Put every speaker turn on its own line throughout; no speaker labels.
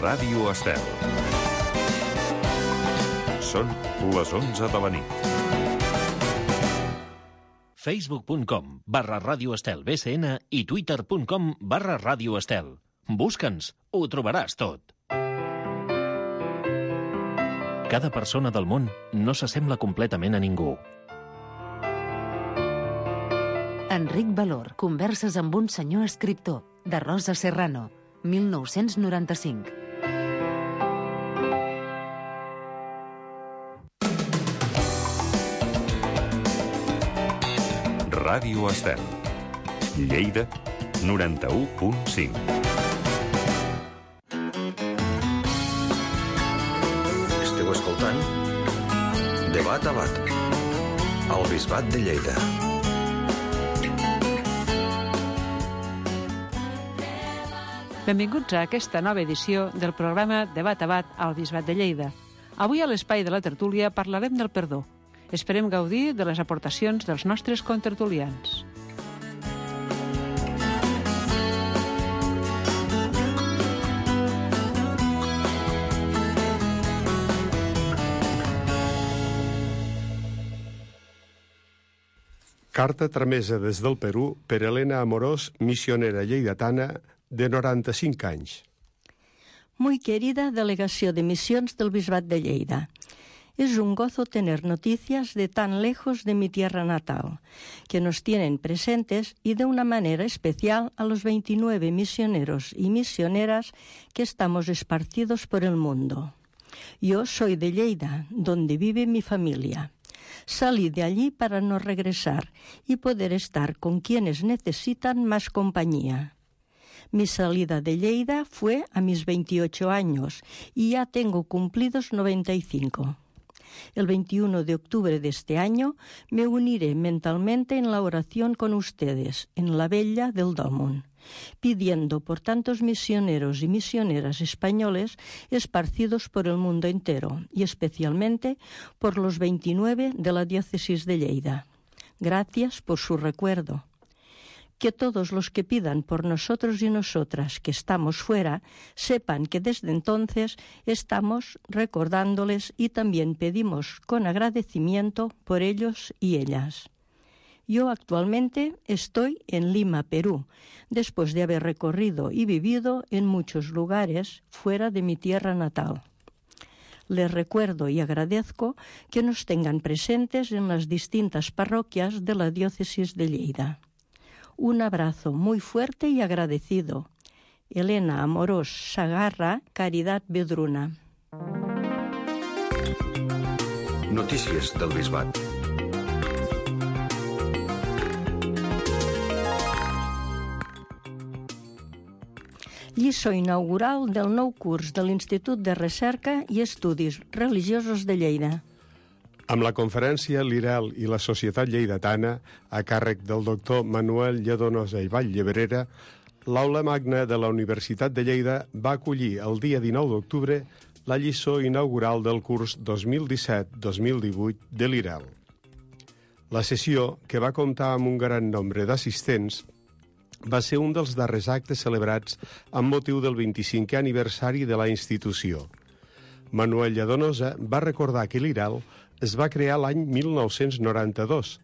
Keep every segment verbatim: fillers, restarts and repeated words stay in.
Ràdio Estel. Són les onze de la nit.
facebook punt com barra Ràdio Estel B C N i twitter punt com barra Ràdio Estel. Busca'ns, ho trobaràs tot. Cada persona del món no s'assembla completament a ningú.
Enric Valor, converses amb un senyor escriptor, de Rosa Serrano, mil nou-cents noranta-cinc.
Ràdio Estel. Lleida, noranta-u punt cinc.
Esteu escoltant Debat a Bat, al Bisbat de Lleida.
Benvinguts a aquesta nova edició del programa Debat a Bat al Bisbat de Lleida. Avui a l'espai de la tertúlia parlarem del perdó. Esperem gaudir de les aportacions dels nostres contertulians.
Carta tramesa des del Perú per Elena Amorós, missionera lleidatana de noranta-cinc anys.
Muy querida Delegación de Misiones del Bisbat de Lleida, es un gozo tener noticias de tan lejos de mi tierra natal, que nos tienen presentes y de una manera especial a los veintinueve misioneros y misioneras que estamos esparcidos por el mundo. Yo soy de Lleida, donde vive mi familia. Salí de allí para no regresar y poder estar con quienes necesitan más compañía. Mi salida de Lleida fue a mis veintiocho años y ya tengo cumplidos noventa y cinco. El veintiuno de octubre de este año me uniré mentalmente en la oración con ustedes en la Vella del Dòmun, pidiendo por tantos misioneros y misioneras españoles esparcidos por el mundo entero y especialmente por los veintinueve de la diócesis de Lleida. Gracias por su recuerdo. Que todos los que pidan por nosotros y nosotras que estamos fuera sepan que desde entonces estamos recordándoles y también pedimos con agradecimiento por ellos y ellas. Yo actualmente estoy en Lima, Perú, después de haber recorrido y vivido en muchos lugares fuera de mi tierra natal. Les recuerdo y agradezco que nos tengan presentes en las distintas parroquias de la diócesis de Lleida. Un abrazo muy fuerte y agradecido. Elena Amorós Sagarra, Caridad Vedruna.
Notícies del Bisbat.
Lliçó inaugural del nou curs de l'Institut de Recerca i Estudis Religiosos de Lleida.
Amb la conferència L'I R E L i la Societat Lleidatana, a càrrec del doctor Manuel Lladonosa i Vall-Llebrera, l'Aula Magna de la Universitat de Lleida va acollir el dia dinou d'octubre la lliçó inaugural del curs dos mil disset dos mil divuit de l'I R E L. La sessió, que va comptar amb un gran nombre d'assistents, va ser un dels darrers actes celebrats amb motiu del vint-i-cinquè aniversari de la institució. Manuel Lladonosa va recordar que l'I R E L es va crear l'any mil nou-cents noranta-dos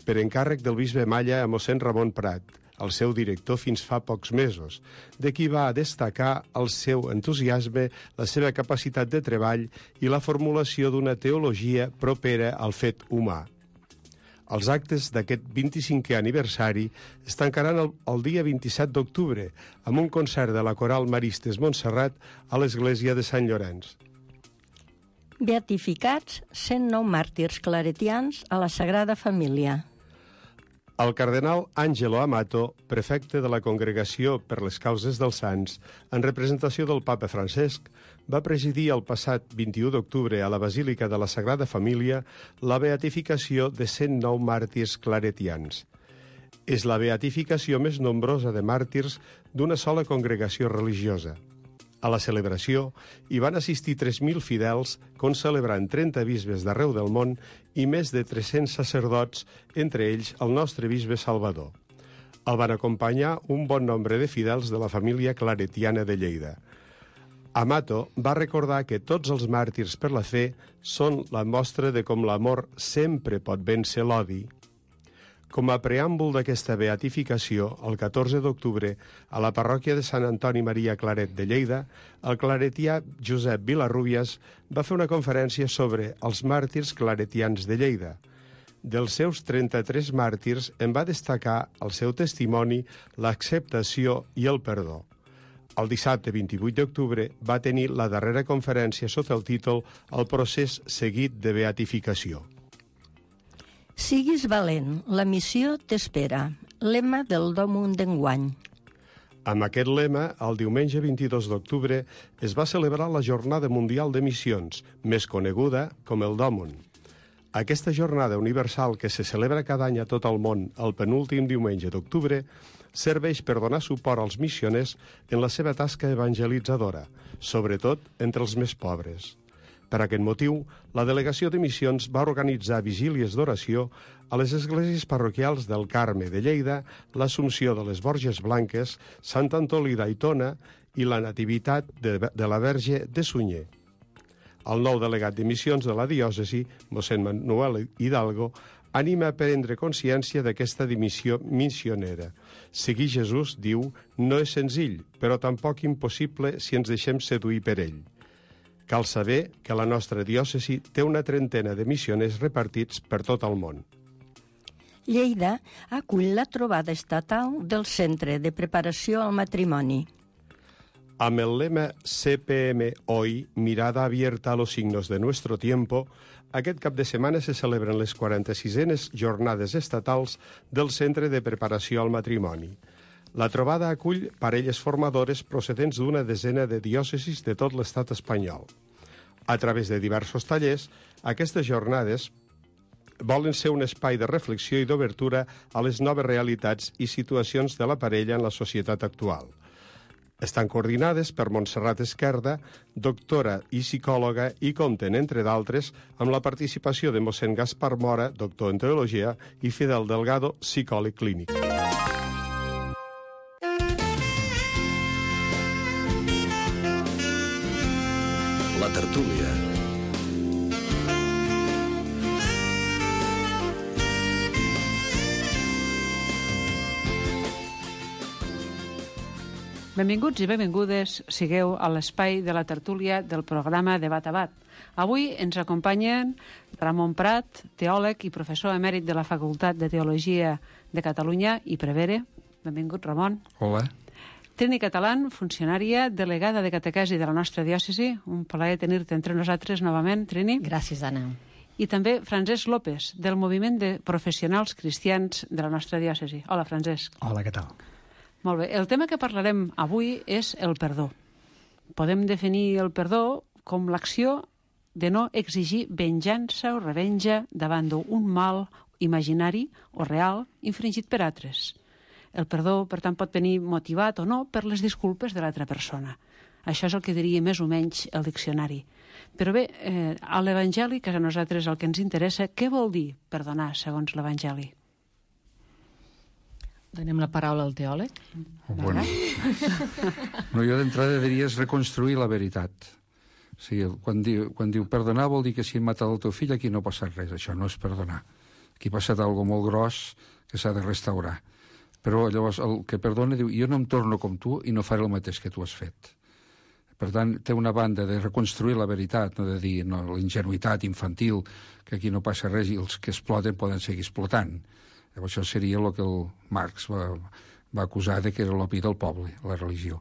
per encàrrec del bisbe Malla a mossèn Ramon Prat, el seu director fins fa pocs mesos, de qui va destacar el seu entusiasme, la seva capacitat de treball i la formulació d'una teologia propera al fet humà. Els actes d'aquest vint-i-cinquè aniversari es tancaran el, el dia vint-i-set d'octubre amb un concert de la Coral Maristes Montserrat a l'església de Sant Llorenç.
Beatificats cent nou màrtirs claretians a la Sagrada Família.
El cardenal Angelo Amato, prefecte de la Congregació per les Causes dels Sants, en representació del papa Francesc, va presidir el passat vint-i-u d'octubre a la Basílica de la Sagrada Família la beatificació de cent nou màrtirs claretians. És la beatificació més nombrosa de màrtirs d'una sola congregació religiosa. A la celebració hi van assistir tres mil fidels, concelebrant trenta bisbes d'arreu del món i més de tres-cents sacerdots, entre ells el nostre bisbe Salvador. El van acompanyar un bon nombre de fidels de la família claretiana de Lleida. Amato va recordar que tots els màrtirs per la fe són la mostra de com l'amor sempre pot vèncer l'odi. Com a preàmbul d'aquesta beatificació, el catorze d'octubre, a la parròquia de Sant Antoni Maria Claret de Lleida, el claretià Josep Vilarrubias va fer una conferència sobre els màrtirs claretians de Lleida. Dels seus trenta-tres màrtirs en va destacar el seu testimoni, l'acceptació i el perdó. El dissabte vint-i-vuit d'octubre va tenir la darrera conferència sota el títol El procés seguit de beatificació.
Siguis valent, la missió t'espera. Lema del Dòmum d'enguany.
Amb aquest lema, el diumenge vint-i-dos d'octubre es va celebrar la Jornada Mundial de Missions, més coneguda com el Dòmum. Aquesta jornada universal que se celebra cada any a tot el món el penúltim diumenge d'octubre serveix per donar suport als missioners en la seva tasca evangelitzadora, sobretot entre els més pobres. Per aquest motiu, la Delegació de Missions va organitzar vigílies d'oració a les esglésies parroquials del Carme de Lleida, l'Assumpció de les Borges Blanques, Sant Antolí d'Aitona i la Nativitat de, de la Verge de Sunyer. El nou delegat de missions de la diòcesi, mossèn Manuel Hidalgo, anima a prendre consciència d'aquesta dimissió missionera. Seguir Jesús, diu, no és senzill, però tampoc impossible si ens deixem seduir per ell. Cal saber que la nostra diòcesi té una trentena de missioners repartits per tot el món.
Lleida acull la trobada estatal del Centre de Preparació al Matrimoni.
Amb el lema C P M Hoy, mirada abierta a los signos de nuestro tiempo, aquest cap de setmana se celebren les quaranta-sisenes jornades estatals del Centre de Preparació al Matrimoni. La trobada acull parelles formadores procedents d'una desena de diòcesis de tot l'estat espanyol. A través de diversos tallers, aquestes jornades volen ser un espai de reflexió i d'obertura a les noves realitats i situacions de la parella en la societat actual. Estan coordinades per Montserrat Esquerda, doctora i psicòloga, i compten, entre d'altres, amb la participació de mossèn Gaspar Mora, doctor en teologia, i Fidel Delgado, psicòleg clínic.
La tertúlia.
Benvinguts i benvingudes sigueu a l'espai de la tertúlia del programa Debat a Bat. Avui ens acompanyen Ramon Prat, teòleg i professor emèrit de la Facultat de Teologia de Catalunya i Prevere. Benvingut, Ramon.
Hola.
Trini Catalán, funcionària, delegada de catequesi de la nostra diòcesi. Un plaer tenir-te entre nosaltres novament, Trini.
Gràcies, Anna.
I també Francesc López, del Moviment de Professionals Cristians de la nostra diòcesi. Hola, Francesc.
Hola, què tal?
Molt bé. El tema que parlarem avui és el perdó. Podem definir el perdó com l'acció de no exigir venjança o revenja davant d'un mal imaginari o real infringit per altres. El perdó, per tant, pot venir motivat o no per les disculpes de l'altra persona. Això és el que diria més o menys el diccionari. Però bé, eh, a l'Evangeli, que a nosaltres el que ens interessa, què vol dir perdonar segons l'Evangeli?
Donem la paraula al teòleg.
Oh, bueno. No, jo d'entrada diria és reconstruir la veritat. O sigui, quan diu, quan diu perdonar vol dir que si han matat el teu fill aquí no ha passat res. Això no és perdonar. Aquí ha passat alguna cosa molt gros que s'ha de restaurar. Però llavors el que perdona diu jo no em torno com tu i no faré el mateix que tu has fet. Per tant, té una banda de reconstruir la veritat, no de dir no, la ingenuïtat infantil, que aquí no passa res i els que exploten poden seguir explotant. Llavors això seria el que el Marx va, va acusar de que era l'opi del poble, la religió.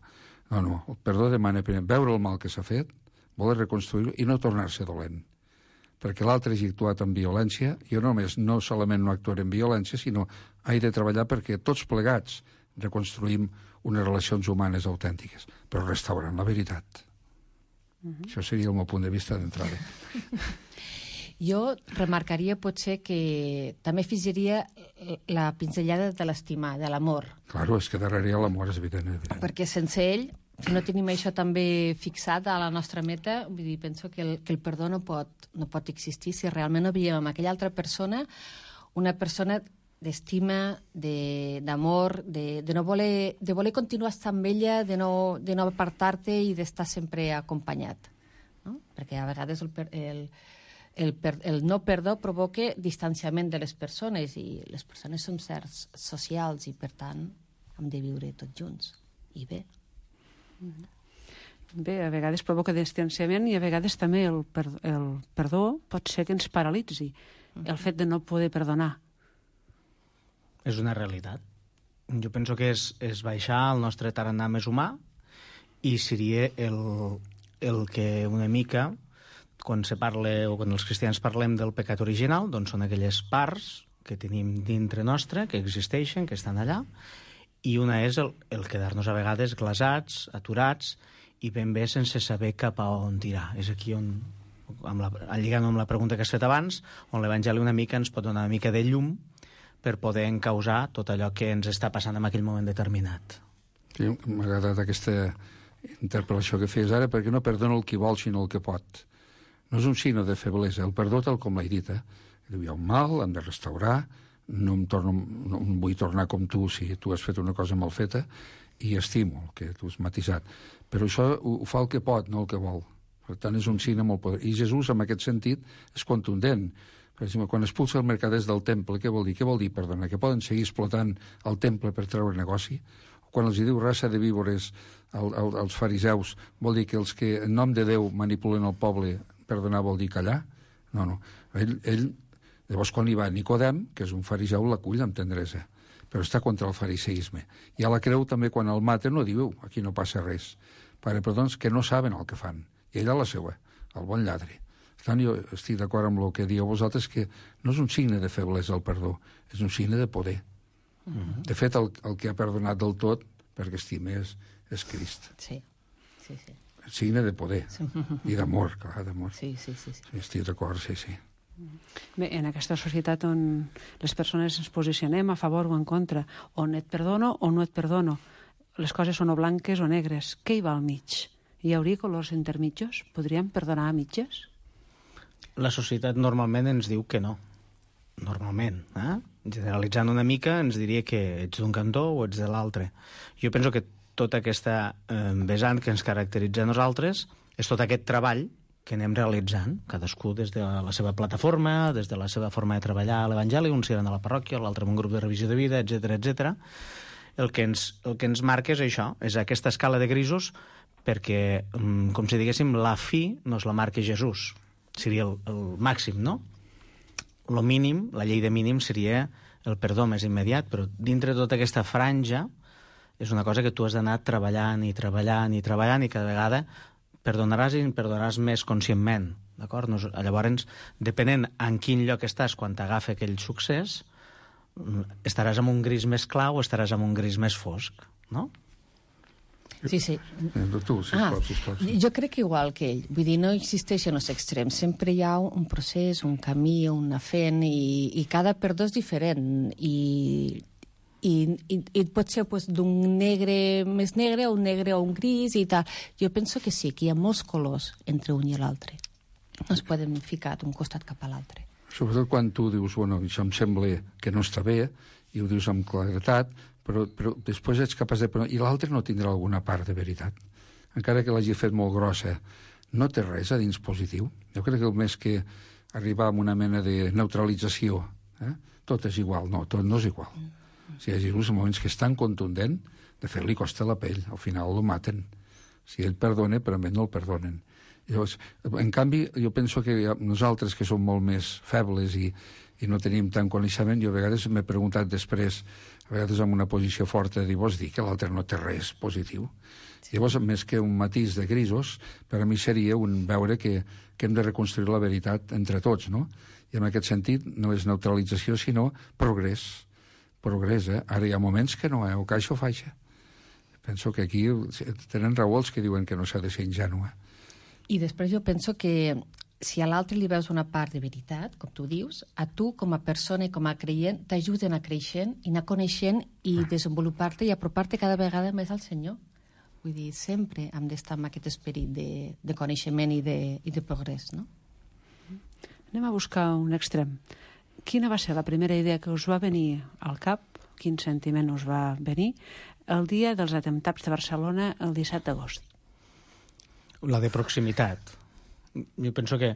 No, no, el perdó demana primer veure el mal que s'ha fet, voler reconstruir-ho i no tornar-se dolent. Perquè l'altre hagi actuat amb violència, jo només no solament no actuaré amb violència, sinó he de treballar perquè tots plegats reconstruïm unes relacions humanes autèntiques, però restaurant la veritat. Uh-huh. Això seria el meu punt de vista d'entrada.
Jo remarcaria potser que també afegiria la pinzellada de l'estimar, de l'amor.
Claro, és que darrere hi ha l'amor, és evident, evident.
Perquè sense ell, si no tenim això també fixat a la nostra meta, vull dir, penso que el, que el perdó no pot, no pot existir si realment no veiem amb aquella altra persona una persona d'estima, de, d'amor, de, de, no voler, de voler continuar estar amb ella, de no, de no apartar-te i d'estar sempre acompanyat. No? Perquè a vegades el, el, el, el no perdó provoca distanciament de les persones i les persones són certs socials i, per tant, hem de viure tots junts. I bé.
Bé, a vegades provoca distanciament i a vegades també el, per, el perdó pot ser que ens paralitzi. El fet de no poder perdonar.
És una realitat. Jo penso que és, és baixar el nostre tarannà més humà i seria el, el que una mica, quan se parla o quan els cristians parlem del pecat original, doncs són aquelles parts que tenim dintre nostre, que existeixen, que estan allà, i una és el, el quedar-nos a vegades glasats, aturats, i ben bé sense saber cap a on tirar. És aquí on, amb la, lligant amb la pregunta que has fet abans, on l'Evangeli una mica ens pot donar una mica de llum per poder encausar tot allò que ens està passant en aquell moment determinat.
Sí, m'ha agradat aquesta interpel·lació que feies ara, perquè no perdona el qui vol, sinó el que pot. No és un signe de feblesa. El perdó, tal com l'he dit, eh? Diu, hi ha un mal, hem de restaurar, no em, torno, no em vull tornar com tu si tu has fet una cosa mal feta, i estimo el que tu has matisat. Però això ho, ho fa el que pot, no el que vol. Per tant, és un signe molt poderós. I Jesús, en aquest sentit, és contundent. Per exemple, quan expulsa els mercaders del temple, què vol dir? Què vol dir, perdona? Que poden seguir explotant el temple per treure negoci? O quan els diu raça de víbores al, al, als fariseus, vol dir que els que en nom de Déu manipulen el poble, perdonar vol dir callar? No, no. Ell, ell llavors, quan hi va Nicodem, que és un fariseu, l'acull amb tendresa, però està contra el fariseisme. I a la creu també, quan el maten, no diu, aquí no passa res. Pare, perdons, que no saben el que fan. I ella la seva, el bon lladre. Per tant, jo estic d'acord amb el que dieu vosaltres, que no és un signe de feblesa el perdó, és un signe de poder. Uh-huh. De fet, el, el que ha perdonat del tot, perquè estima, és, és Crist.
Sí, sí, sí.
Signe de poder. Sí. I d'amor, clar, d'amor.
Sí, sí, sí, sí.
sí estic d'acord, sí, sí.
Bé, en aquesta societat on les persones ens posicionem a favor o en contra, on et perdono o no et perdono, les coses són o blanques o negres, què hi va al mig? Hi hauria colors intermitjos? Podríem perdonar a mitges?
La societat normalment ens diu que no. Normalment. Eh? Generalitzant una mica, ens diria que ets d'un cantó o ets de l'altre. Jo penso que tota aquesta eh, vessant que ens caracteritza a nosaltres és tot aquest treball que anem realitzant, cadascú des de la seva plataforma, des de la seva forma de treballar a l'Evangeli, un serà a la parròquia, l'altre en un grup de revisió de vida, etcètera, etcètera. El que ens, el que ens marca és això, és aquesta escala de grisos, perquè, com si diguéssim, la fi no es la marca Jesús. Seria el, el màxim, no? Lo mínim, la llei de mínim seria el perdó més immediat, però dintre de tota aquesta franja és una cosa que tu has d'anar treballant i treballant i treballant i cada vegada perdonaràs i perdonaràs més conscientment, d'acord? No, llavors, depenent en quin lloc estàs quan t'agafa aquell succés, estaràs en un gris més clar o estaràs en un gris més fosc, no?
Sí, sí.
Tu, sisplau, ah, sisplau. Sí.
Jo crec que igual que ell. Vull dir, no existeixen els extrems. Sempre hi ha un procés, un camí, una fent, i, i cada perdó és diferent. I, i, i, i pot ser pues, d'un negre més negre o un negre o un gris i tal. Jo penso que sí, que hi ha molts colors entre un i l'altre. No es poden ficar d'un costat cap a l'altre.
Sobretot quan tu dius, bueno, això em sembla que no està bé, i ho dius amb claretat, però, però després ets capaç de... I l'altre no tindrà alguna part de veritat. Encara que l'hagi fet molt grossa, no té res a dins positiu. Jo crec que el més que arribar a una mena de neutralització, eh? Tot és igual. No, tot no és igual. Si hi ha uns moments que és tan contundent, de fet li costa la pell, al final el maten. Si ell perdona, però a mi no el perdonen. Llavors, en canvi, jo penso que nosaltres, que som molt més febles i, i no tenim tant coneixement, jo a vegades m'he preguntat després, a vegades amb una posició forta, de dir, vols dir que l'altre no té res positiu? Sí. Llavors, més que un matís de grisos, per a mi seria un veure que, que hem de reconstruir la veritat entre tots, no? I en aquest sentit no és neutralització, sinó progrés. Progrés, eh? Ara hi ha moments que no, eh? O que això faixa. Penso que aquí tenen raó els que diuen que no s'ha de ser ingènua.
I després jo penso que si a l'altre li veus una part de veritat, com tu dius, a tu com a persona i com a creient t'ajuden a creixent i anar coneixent i ah. desenvolupar-te i apropar-te cada vegada més al Senyor. Vull dir, sempre hem d'estar amb aquest esperit de, de coneixement i de, i de progrés, no?
Anem a buscar un extrem. quina va ser la primera idea que us va venir al cap, quin sentiment us va venir, el dia dels atemptats de Barcelona el disset d'agost?
La de proximitat. Jo penso que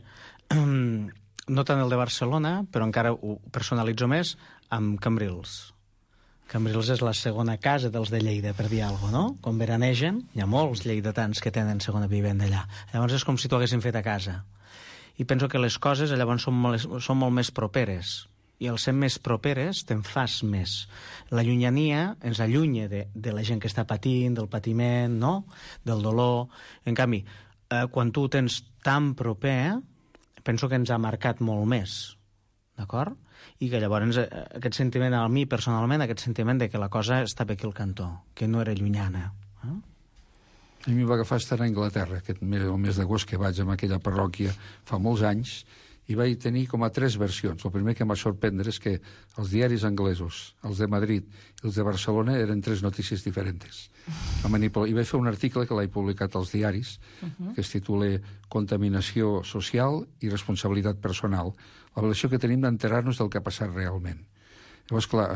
no tant el de Barcelona, però encara ho personalitzo més amb Cambrils. Cambrils és la segona casa dels de Lleida, per dir alguna cosa, no? Quan veranegen, hi ha molts lleidatans que tenen segona vivenda allà. Llavors és com si t'ho haguessin fet a casa. I penso que les coses llavors són molt, són molt més properes. I al ser més properes te'n fas més. La llunyania ens allunya de, de la gent que està patint, del patiment, no? Del dolor. En canvi, eh, quan tu ho tens tan proper, penso que ens ha marcat molt més. D'acord? I que llavors aquest sentiment, a mi personalment, aquest sentiment de que la cosa estava aquí al cantó, que no era llunyana. Eh?
A mi va agafar estar a Anglaterra, aquest mes, el mes d'agost que vaig a aquella parròquia fa molts anys, i vaig tenir com a tres versions. El primer que em va sorprendre és que els diaris anglesos, els de Madrid i els de Barcelona, eren tres notícies diferents. I vaig fer un article que l'he publicat als diaris, uh-huh. que es titula Contaminació social i responsabilitat personal, la relació que tenim d'enterar-nos del que ha passat realment. Llavors, clar,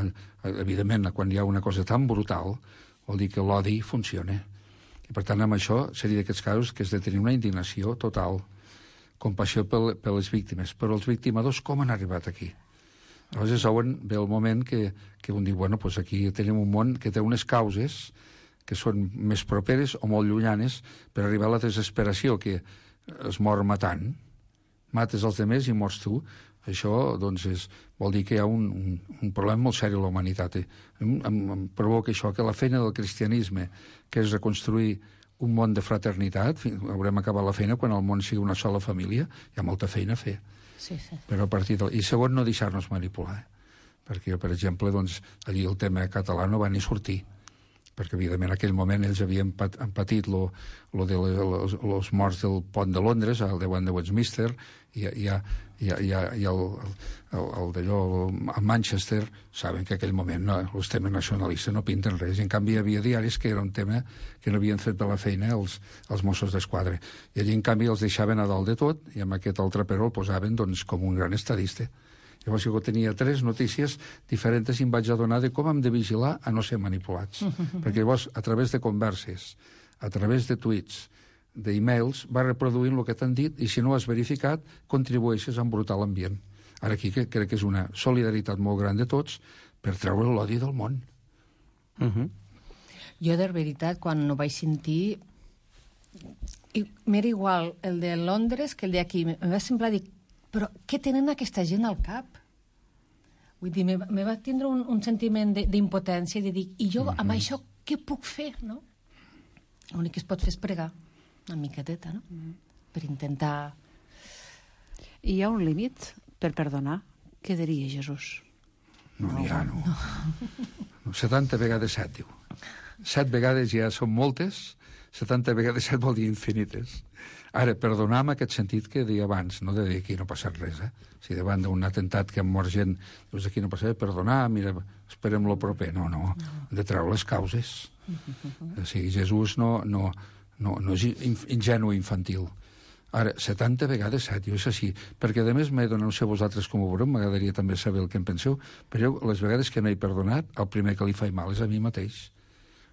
evidentment, quan hi ha una cosa tan brutal, vol dir que l'odi funciona. I, per tant, amb això seria d'aquests casos que has de tenir una indignació total, compassió per, per les víctimes. Però els victimadors com han arribat aquí? Llavors és on ve el moment que, que un diu, bueno, doncs aquí tenim un món que té unes causes que són més properes o molt llunyanes per arribar a la desesperació, que es mor matant, mates els altres i mors tu. Això, doncs, és, vol dir que hi ha un, un, un problema molt seri a la humanitat. Em, em, em provoca això, que la feina del cristianisme, que és reconstruir un món de fraternitat, haurem acabat la feina quan el món sigui una sola família, hi ha molta feina a fer.
Sí, sí. Però
a partir de... I segon, no deixar-nos manipular. Eh? Perquè, per exemple, doncs, allí el tema català no va ni sortir, perquè, evidentment, en aquell moment ells havien pat, patit lo, lo de les, los morts del pont de Londres, al davant de Westminster, i, i, i, i, i el, el, el d'allò a Manchester, saben que en aquell moment no, els temes nacionalistes no pinten res. En canvi, hi havia diaris que era un tema que no havien fet per la feina els, els Mossos d'Esquadra. I allí, en canvi, els deixaven a dalt de tot, i amb aquest altre però el posaven doncs, com un gran estadista. Llavors jo tenia tres notícies diferents i em vaig adonar de com hem de vigilar a no ser manipulats. Uh-huh. Perquè llavors, a través de converses, a través de tuits, d'e-mails, va reproduint el que t'han dit i si no ho has verificat, contribueixes a embrutar l'ambient. Ara aquí que crec que és una solidaritat molt gran de tots per treure l'odi del món.
Uh-huh.
Jo, de veritat, quan ho vaig sentir, m'era igual el de Londres que el d'aquí. Em va semblar dir, però què tenen aquesta gent al cap? Vull dir, me, me va tindre un, un sentiment d'impotència, de dir, i jo mm-hmm. amb això què puc fer, no? L'únic que es pot fer és pregar, una miqueteta, no? Mm. Per intentar...
I hi ha un límit per perdonar? Què diria Jesús?
No n'hi ha, no. no. setanta vegades set, diu. Set vegades ja són moltes, setanta vegades set vol dir infinites. Ara, perdonar en aquest sentit que deia abans, no de dir aquí no ha passat res, eh? Si davant d'un atemptat que ha mort gent, dius aquí no passa res, perdonar, mira, esperem lo proper. No, no, hem de treure les causes. O sigui, Jesús no, no, no, no és ingenu infantil. Ara, setanta vegades set, jo és així, perquè a més m'he donat, no sé vosaltres com ho veureu, m'agradaria també saber el que en penseu, però jo, les vegades que no he perdonat, el primer que li fa mal és a mi mateix.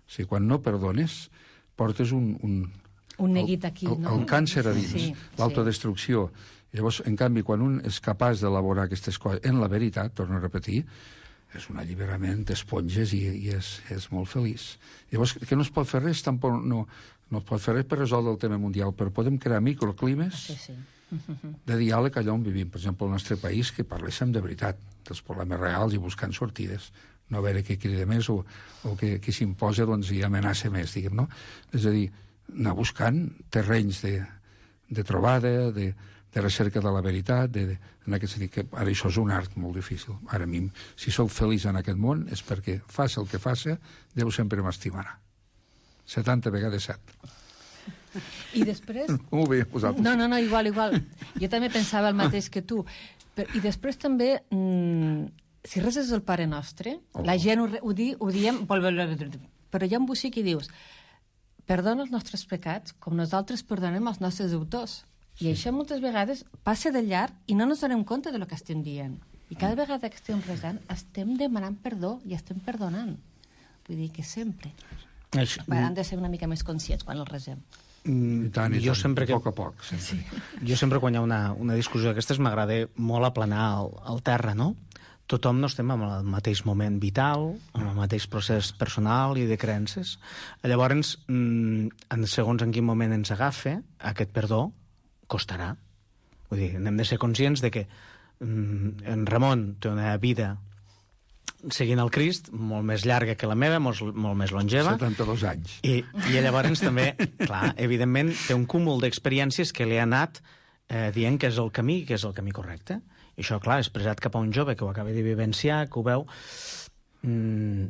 O sigui, quan no perdones, portes un... un
un neguit aquí,
el,
no?
El càncer a dins,
sí,
l'autodestrucció.
Sí.
Llavors, en canvi, quan un és capaç d'elaborar aquestes coses en la veritat, torno a repetir, és un alliberament d'esponges i, i és, és molt feliç. Llavors, que no es pot fer res, tampoc no, no es pot fer res per resoldre el tema mundial, però podem crear microclimes
sí, sí.
de diàleg allà on vivim. Per exemple, al nostre país, que parléssim de veritat, dels problemes reals i buscant sortides. No a veure què crida més o, o que, que s'imposa doncs, i amenaça més, diguem, no? És a dir, anar buscant terrenys de, de trobada, de, de recerca de la veritat, de, de, en aquest sentit, que ara això és un art molt difícil. Ara a mi, si sóc feliç en aquest món, és perquè faci el que faci, Déu sempre m'estimarà. setanta vegades set.
I després...
Molt bé, vosaltres.
No, no, no, igual, igual. Jo també pensava el mateix que tu. Però, I després també, mmm, si reses el Pare Nostre, oh. la gent ho, ho, di, ho diem, però hi ha un bocí que dius perdona els nostres pecats com nosaltres perdonem els nostres deutors. I això moltes vegades passa de llarg i no ens donem compte de lo que estem dient. I cada vegada que estem resant estem demanant perdó i estem perdonant. Vull dir que sempre.
Això...
Han de ser una mica més conscients quan el resem.
I tant, i
jo
tant,
sempre que...
a poc a poc. Sí.
Jo sempre quan hi ha una, una discussió d'aquestes m'agrada molt aplanar el, el terra, no? Tothom no estem en el mateix moment vital, en el mateix procés personal i de creences. Llavors, en segons en quin moment ens agafa, aquest perdó costarà. Vull dir, hem de ser conscients de que en Ramon té una vida seguint el Crist, molt més llarga que la meva, molt, molt més longeva.
setanta-dos anys.
I, i llavors també, clar, evidentment, té un cúmul d'experiències que li ha anat eh, dient que és el camí, que és el camí correcte. I això, clar, expressat cap a un jove que ho acaba de vivenciar, que ho veu, mmm,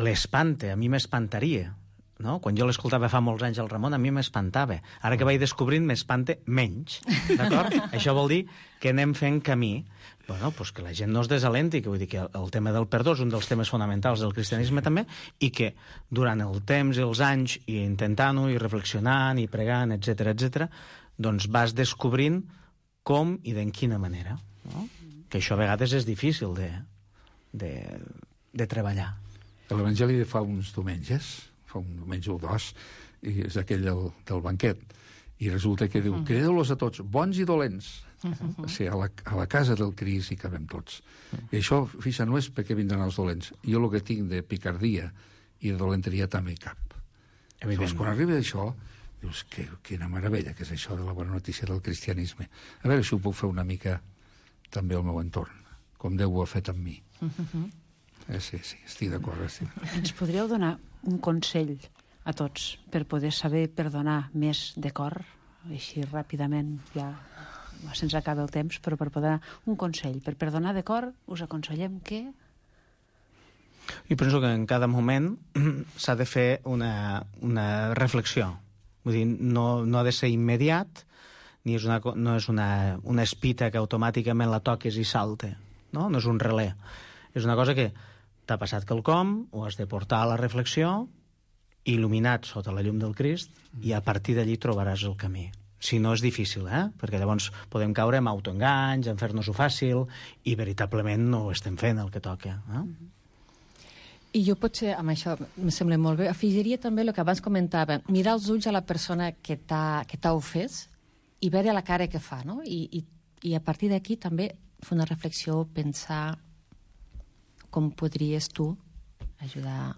l'espanta, a mi m'espantaria. No? Quan jo l'escoltava fa molts anys al Ramon, a mi m'espantava. Ara que vaig descobrint, m'espanta menys. D'acord? Això vol dir que anem fent camí. Bueno, pues que la gent no es desalenti, que vull dir que el tema del perdó és un dels temes fonamentals del cristianisme també, i que durant el temps i els anys, i intentant-ho, i reflexionant, i pregant, etcètera, etcètera, doncs vas descobrint com i d'en quina manera. No? Que això a vegades és difícil de, de, de treballar.
L'Evangeli de fa uns diumenges, fa un diumenge o dos, i és aquell del, del banquet, i resulta que diu, crideu-los a tots, bons i dolents. Uh-huh. O sigui, a la, a la casa del Crist hi cabem tots. Uh-huh. I això, fixa, no és perquè vindran els dolents. Jo el que tinc de picardia i de dolenteria també hi cap. Llavors, quan arriba això, dius, que, quina meravella que és això de la bona notícia del cristianisme. A veure si ho puc fer una mica també al meu entorn, com Déu ho ha fet amb mi. Uh-huh. Eh, sí, sí, estic d'acord. Estic...
Ens podríeu donar un consell a tots per poder saber perdonar més de cor, així ràpidament, ja se'ns acaba el temps, però per poder un consell. Per perdonar de cor us aconsellem que...
Jo penso que en cada moment s'ha de fer una, una reflexió. Vull dir, no, no ha de ser immediat, ni és una, no és una, una espita que automàticament la toques i salte. No, no és un relé. És una cosa que t'ha passat quelcom, ho has de portar a la reflexió, il·luminat sota la llum del Crist, i a partir d'allí trobaràs el camí. Si no, és difícil, eh? Perquè llavors podem caure en autoenganys, en fer-nos-ho fàcil, i veritablement no ho estem fent el que toca. Eh?
I jo potser, amb això, em sembla molt bé, afegiria també el que abans comentava, mirar els ulls a la persona que t'ha ofès i veure la cara que fa, no? I, i, i a partir d'aquí també fer una reflexió, pensar com podries tu ajudar a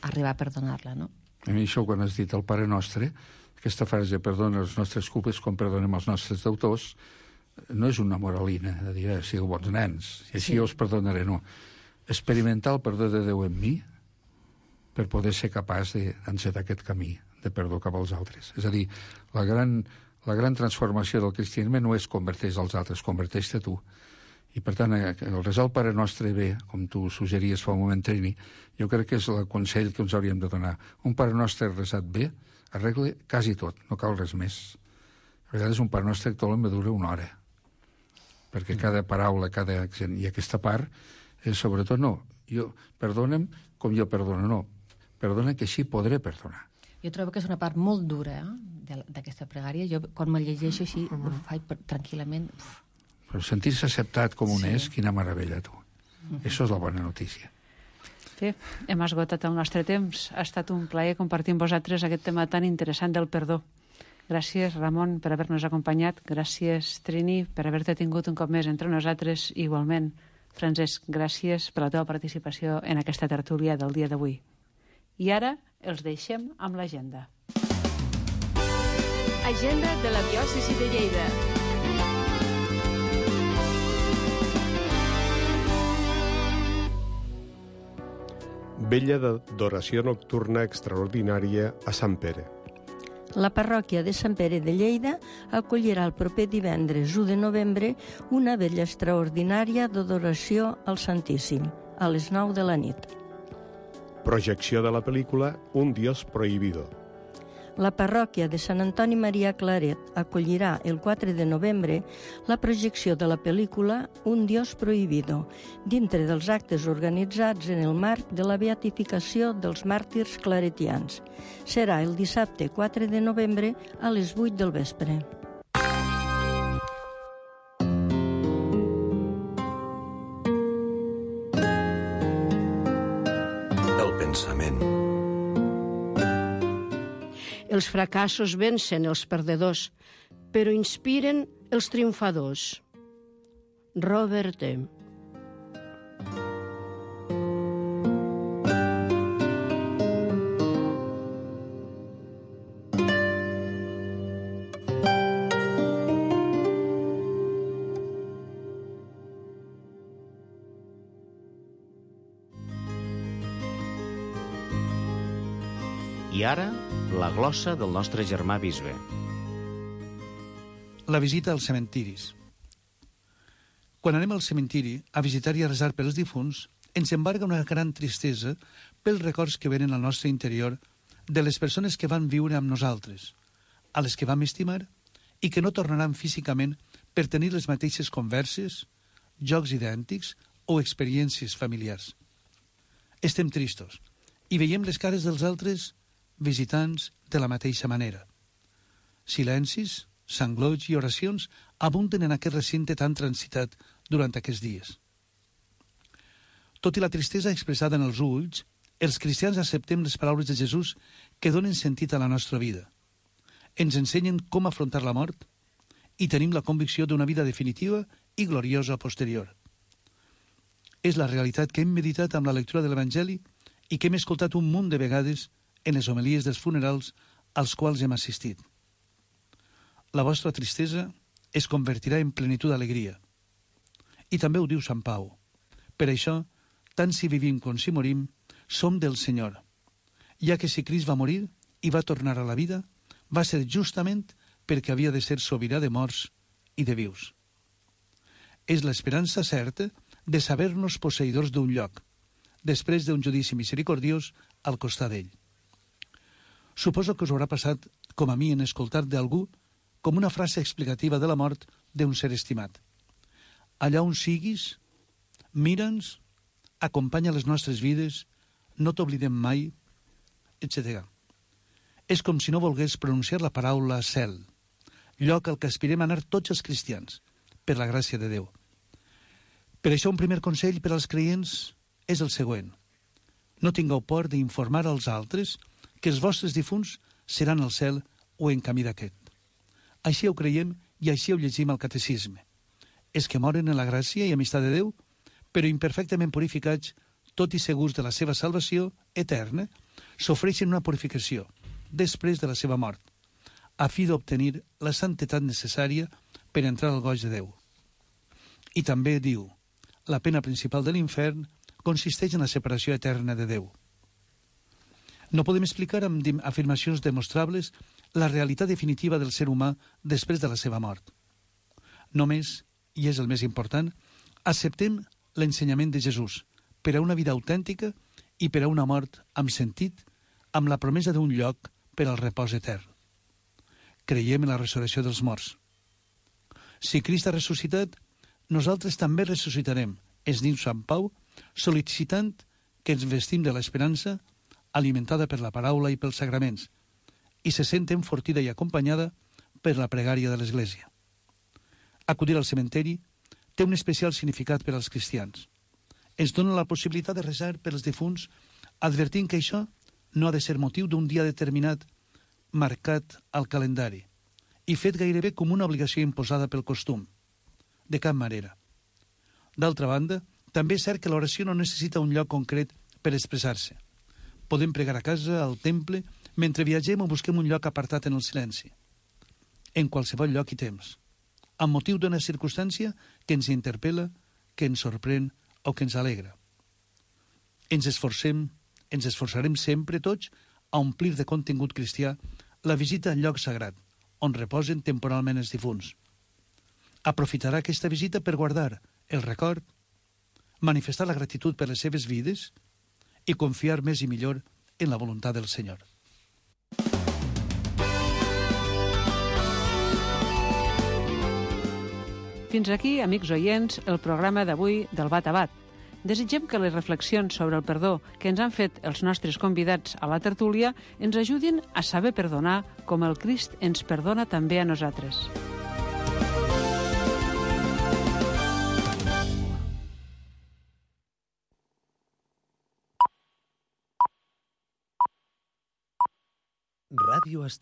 arribar a perdonar-la, no?
A mi això, quan has dit el Pare Nostre, aquesta frase, perdona les nostres culpes com perdonem els nostres deutors, no és una moralina, de dir, eh, sigueu bons nens, i així sí. Jo us perdonaré, no. Experimentar el perdó de Déu en mi per poder ser capaç d'encetar aquest camí de perdó cap als altres. És a dir, la gran, la gran transformació del cristianisme no és converteix als altres, converteix-te tu. I, per tant, el resar el Pare Nostre bé, com tu suggeries fa un moment, Trini, jo crec que és el consell que ens hauríem de donar. Un Pare Nostre resat bé arregla quasi tot, no cal res més. A vegades un Pare Nostre actual me dura una hora, perquè cada paraula, cada accent, i aquesta part, és sobretot no, jo, perdona'm com jo perdono, no, perdona que així podré perdonar.
Jo trobo que és una part molt dura eh, d'aquesta pregària. Jo, quan me llegeixo així, ho faig per, tranquil·lament... Uf.
Però sentir-se acceptat com un sí. És, quina meravella, tu. Uh-huh. Això és la bona notícia.
Sí, hem esgotat el nostre temps. Ha estat un plaer compartir amb vosaltres aquest tema tan interessant del perdó. Gràcies, Ramon, per haver-nos acompanyat. Gràcies, Trini, per haver-te tingut un cop més entre nosaltres. Igualment, Francesc, gràcies per la teva participació en aquesta tertúlia del dia d'avui. I ara els deixem amb l'agenda.
Agenda de la diòcesi de Lleida.
Vella d'adoració nocturna extraordinària a Sant Pere.
La parròquia de Sant Pere de Lleida acollirà el proper divendres u de novembre una vetlla extraordinària d'adoració al Santíssim, a les nou de la nit.
Projecció de la pel·lícula Un Dios prohibido.
La parròquia de Sant Antoni Maria Claret acollirà el quatre de novembre la projecció de la pel·lícula Un Dios prohibido, dintre dels actes organitzats en el marc de la beatificació dels màrtirs claretians. Serà el dissabte quatre de novembre a les vuit del vespre.
Els fracassos vencen els perdedors, però inspiren els triomfadors. Robert E.
I ara, la glossa del nostre germà bisbe.
La visita als cementiris. Quan anem al cementiri a visitar i a resar pels difunts, ens embarga una gran tristesa pels records que venen al nostre interior de les persones que van viure amb nosaltres, a les que vam estimar i que no tornaran físicament per tenir les mateixes converses, jocs idèntics o experiències familiars. Estem tristos i veiem les cares dels altres visitants de la mateixa manera. Silencis, sanglots i oracions abunden en aquest recinte tan transitat durant aquests dies. Tot i la tristesa expressada en els ulls, els cristians acceptem les paraules de Jesús que donen sentit a la nostra vida. Ens ensenyen com afrontar la mort i tenim la convicció d'una vida definitiva i gloriosa posterior. És la realitat que hem meditat amb la lectura de l'Evangeli i que hem escoltat un munt de vegades en les homilies dels funerals als quals hem assistit. La vostra tristesa es convertirà en plenitud d'alegria. I també ho diu Sant Pau. Per això, tant si vivim com si morim, som del Senyor, ja que si Crist va morir i va tornar a la vida, va ser justament perquè havia de ser sobirà de morts i de vius. És l'esperança certa de saber-nos posseïdors d'un lloc, després d'un judici misericordiós al costat d'ell. Suposo que us haurà passat, com a mi en escoltar d'algú, com una frase explicativa de la mort d'un ser estimat. Allà on siguis, mira'ns, acompanya les nostres vides, no t'oblidem mai, etcètera. És com si no volgués pronunciar la paraula cel, lloc al que aspirem a anar tots els cristians, per la gràcia de Déu. Per això un primer consell per als creients és el següent. No tingueu por d'informar als altres que els vostres difunts seran al cel o en camí d'aquest. Així ho creiem i així ho llegim al catecisme. És que moren en la gràcia i amistat de Déu, però imperfectament purificats, tot i segurs de la seva salvació eterna, s'ofreixen una purificació després de la seva mort, a fi d'obtenir la santetat necessària per entrar al goig de Déu. I també diu, la pena principal de l'infern consisteix en la separació eterna de Déu. No podem explicar amb afirmacions demostrables la realitat definitiva del ser humà després de la seva mort. Només, i és el més important, acceptem l'ensenyament de Jesús per a una vida autèntica i per a una mort amb sentit, amb la promesa d'un lloc per al repòs etern. Creiem en la resurrecció dels morts. Si Crist ha ressuscitat, nosaltres també ressuscitarem, es diu Sant Pau, sol·licitant que ens vestim de l'esperança alimentada per la paraula i pels sagraments, i se sent enfortida i acompanyada per la pregària de l'Església. Acudir al cementeri té un especial significat per als cristians. Ens dona la possibilitat de resar per als difunts, advertint que això no ha de ser motiu d'un dia determinat marcat al calendari i fet gairebé com una obligació imposada pel costum. De cap manera. D'altra banda, també és cert que l'oració no necessita un lloc concret per expressar-se. Podem pregar a casa, al temple, mentre viatgem o busquem un lloc apartat en el silenci. En qualsevol lloc i temps. Amb motiu d'una circumstància que ens interpel·la, que ens sorprèn o que ens alegra. Ens esforcem, ens esforçarem sempre tots a omplir de contingut cristià la visita al lloc sagrat, on reposen temporalment els difunts. Aprofitarà aquesta visita per guardar el record, manifestar la gratitud per les seves vides i confiar més i millor en la voluntat del Senyor.
Fins aquí, amics oients, el programa d'avui del Bat a Bat. Desitgem que les reflexions sobre el perdó que ens han fet els nostres convidats a la tertúlia ens ajudin a saber perdonar com el Crist ens perdona també a nosaltres.
Ràdio Estel.